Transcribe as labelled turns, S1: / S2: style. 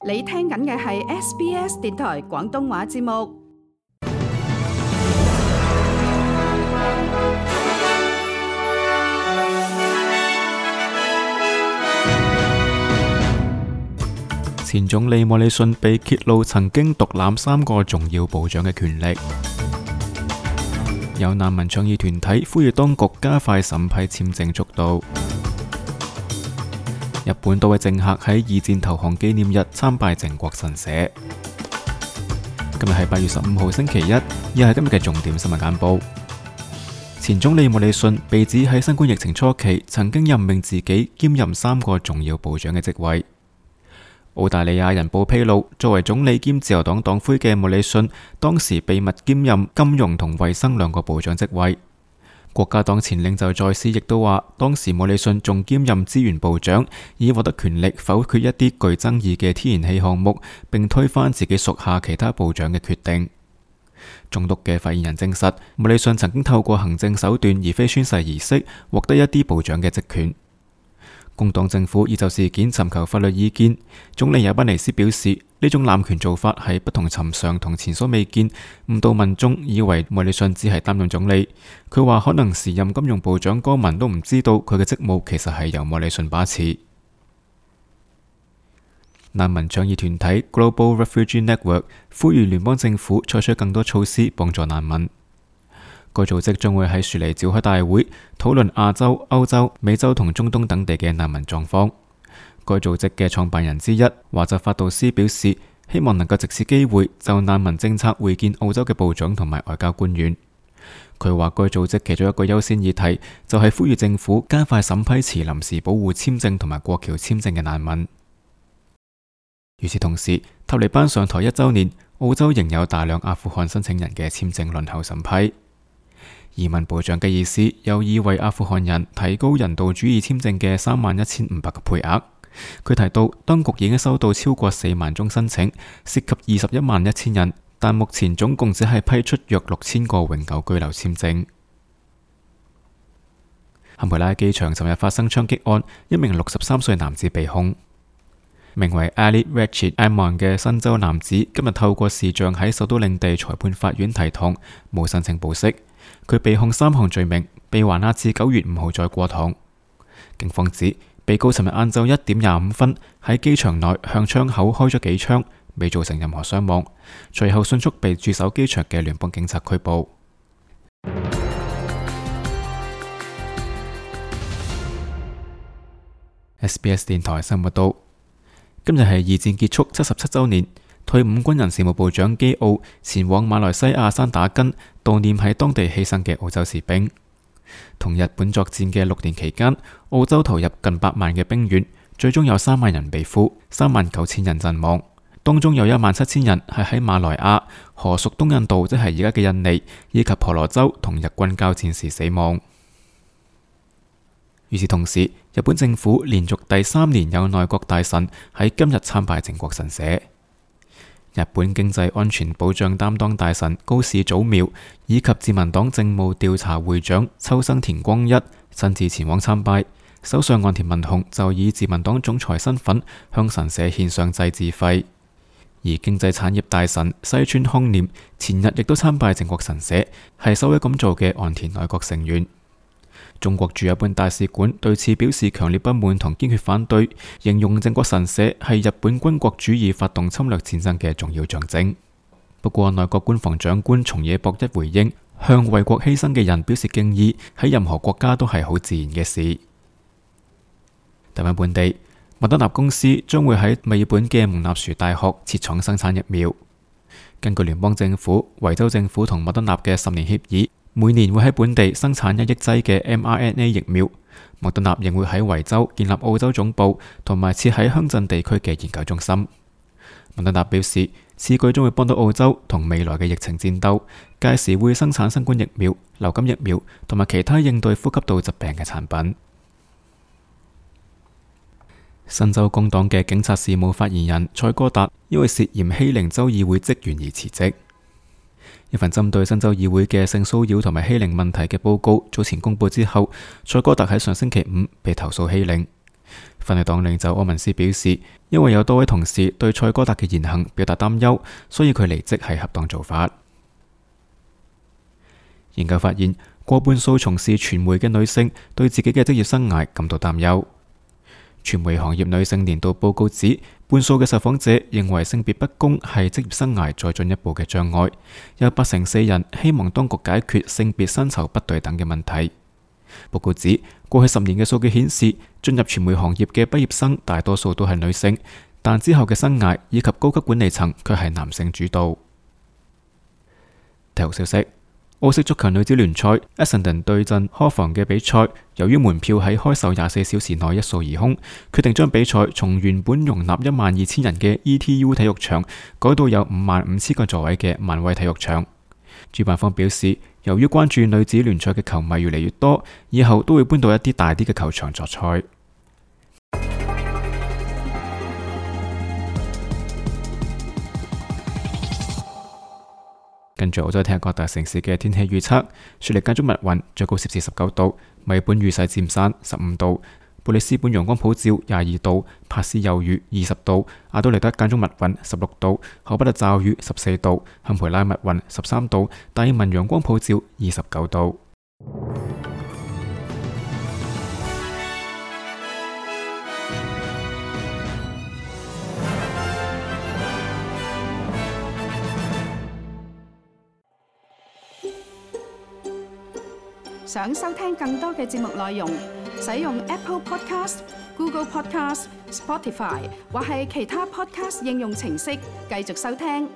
S1: 你聽緊嘅係 SBS 電台廣東話節目。
S2: 前總理莫里遜被揭露曾經獨攬3個重要部長嘅權力。有難民倡議團體呼籲當局加快審批簽證速度。日本多位政客喺二戰投降紀念日參拜靖國神社。今日係8月15號星期一，以下係今日嘅重點新聞簡報。前總理莫里遜被指喺新冠疫情初期曾經任命自己兼任3個重要部長嘅職位。澳大利亞人報披露，作為總理兼自由黨黨魁嘅莫里遜，當時秘密兼任金融同衛生2個部長職位。國家黨前領袖在斯亦都話，當時莫里遜仲兼任資源部長，以獲得權力否決一啲具爭議嘅天然氣項目，並推翻自己屬下其他部長嘅決定。總督嘅發言人證實，莫里遜曾經透過行政手段而非宣誓儀式，獲得一啲部長嘅職權。工黨政府已就事件尋求法律意見。總理亞賓尼斯表示，呢種濫權做法係不同尋常同前所未見，誤導民眾以為莫里遜只係擔任總理。佢話可能時任金融部長戈文都唔知道佢嘅職務其實係由莫里遜把持。難民倡議團體 Global Refugee Network 呼籲聯邦政府採取更多措施幫助難民。該組織將會喺雪梨召開大會，討論亞洲、歐洲、美洲同中東等地嘅難民狀況。該組織嘅創辦人之一華澤法杜斯表示，希望能夠藉此機會就難民政策會見澳洲嘅部長同埋外交官員。佢話該組織其中一個優先議題就係呼籲政府加快審批持臨時保護簽證同埋過橋簽證嘅難民。與此同時，塔利班上台1週年，澳洲仍有大量阿富汗申請人嘅簽證輪候審批。移民部長嘅意思有意為阿富汗人提高人道主義簽證嘅31,500個配額。佢提到，當局已經收到超過4萬宗申請，涉及211000人，但目前總共只係批出約6000個永久居留簽證。坎培拉機場尋日發生槍擊案，一名63歲男子被控。名為 Ali Rachid Amon 嘅新州男子今日透過視像喺首都領地裁判法院提堂，冇申請保釋。佢被控3項罪名，被還押至9月5號再過堂。警方指，被告尋日晏晝1點25分喺機場內向窗口開咗幾槍，未造成任何傷亡，隨後迅速被駐守機場嘅聯邦警察拘捕。SBS 電台新聞報道，今日係二戰結束77週年。退伍軍人事務部長基奧前往馬來西亞山打根悼念喺當地犧牲嘅澳洲士兵。同日本作戰嘅6年期間，澳洲投入近8萬嘅兵員，最終有3萬人被俘，39000人陣亡，當中有17000人係喺馬來亞、荷屬東印度即係而家嘅印尼以及婆羅洲同日軍交戰時死亡。與此同時，日本政府連續第3年有內閣大臣喺今日參拜靖國神社。日本經濟安全保障擔當大臣高市早苗以及自民黨政務調查會長秋生田光一親自前往參拜。首相岸田文雄就以自民黨總裁身份向神社獻上祭祀費。而經濟產業大臣西村康稔前日亦都參拜靖國神社，係首位咁做嘅岸田內閣成員。中國駐日本大使館對此表示強烈不滿同堅決反對，形容靖國神社係日本軍國主義發動侵略戰爭嘅重要象徵。不過內閣官房長官松野博一回應，向為國犧牲嘅人表示敬意，喺任何國家都係好自然嘅事。睇返本地，莫德納公司將會喺墨爾本嘅蒙納殊大學設廠生產疫苗。根據聯邦政府、維州政府同莫德納嘅10年協議，每年會喺本地生產1億劑嘅 mRNA 疫苗。莫德納仍會喺維州建立澳洲總部，同埋設喺鄉鎮地區嘅研究中心。莫德納表示，此舉將會幫到澳洲同未來嘅疫情戰鬥，屆時會生產新冠疫苗、流感疫苗同埋其他應對呼吸道疾病嘅產品。新州工黨嘅警察事務發言人蔡哥達因為涉嫌欺凌州議會職員而辭職。一份針對新州議會嘅性騷擾同埋欺凌問題嘅報告早前公布之後，蔡哥達喺上星期5被投訴欺凌。反對黨領袖柯文斯表示，因為有多位同事對蔡哥達嘅言行表達擔憂，所以佢離職係恰當做法。研究發現，過半數從事傳媒嘅女性對自己嘅職業生涯感到擔憂。傳媒行業女性年度報告指，半數嘅受訪者認為性別不公係職業生涯再進一步嘅障礙，有84%人希望當局解決性別薪酬不對等嘅問題。報告指，過去10年嘅數據顯示，進入傳媒行業嘅畢業生大多數都係女性，但之後嘅生涯以及高級管理層卻係男性主導。體育消息：澳式足球女子聯賽，埃森頓對陣科房嘅比賽，由於門票喺開售24小時內一掃而空，決定將比賽從原本容納12000人嘅 ETU 體育場改到有55000個座位嘅萬威體育場。主辦方表示，由於關注女子聯賽嘅球迷越嚟越多，以後都會搬到一啲大啲嘅球場作賽。跟住澳洲聽日各大城市嘅天氣預測：雪梨間中密雲，最高攝氏19度；墨本雨勢漸散15度；布里斯本陽光普照22度；帕斯有雨20度；阿德萊德間中密雲16度；荷巴特驟雨14度；坎培拉密雲13度；達爾文陽光普照29度。
S1: 想收聽更多嘅節目內容，使用 Apple Podcast、Google Podcast、Spotify 或係其他 Podcast 應用程式繼續收聽。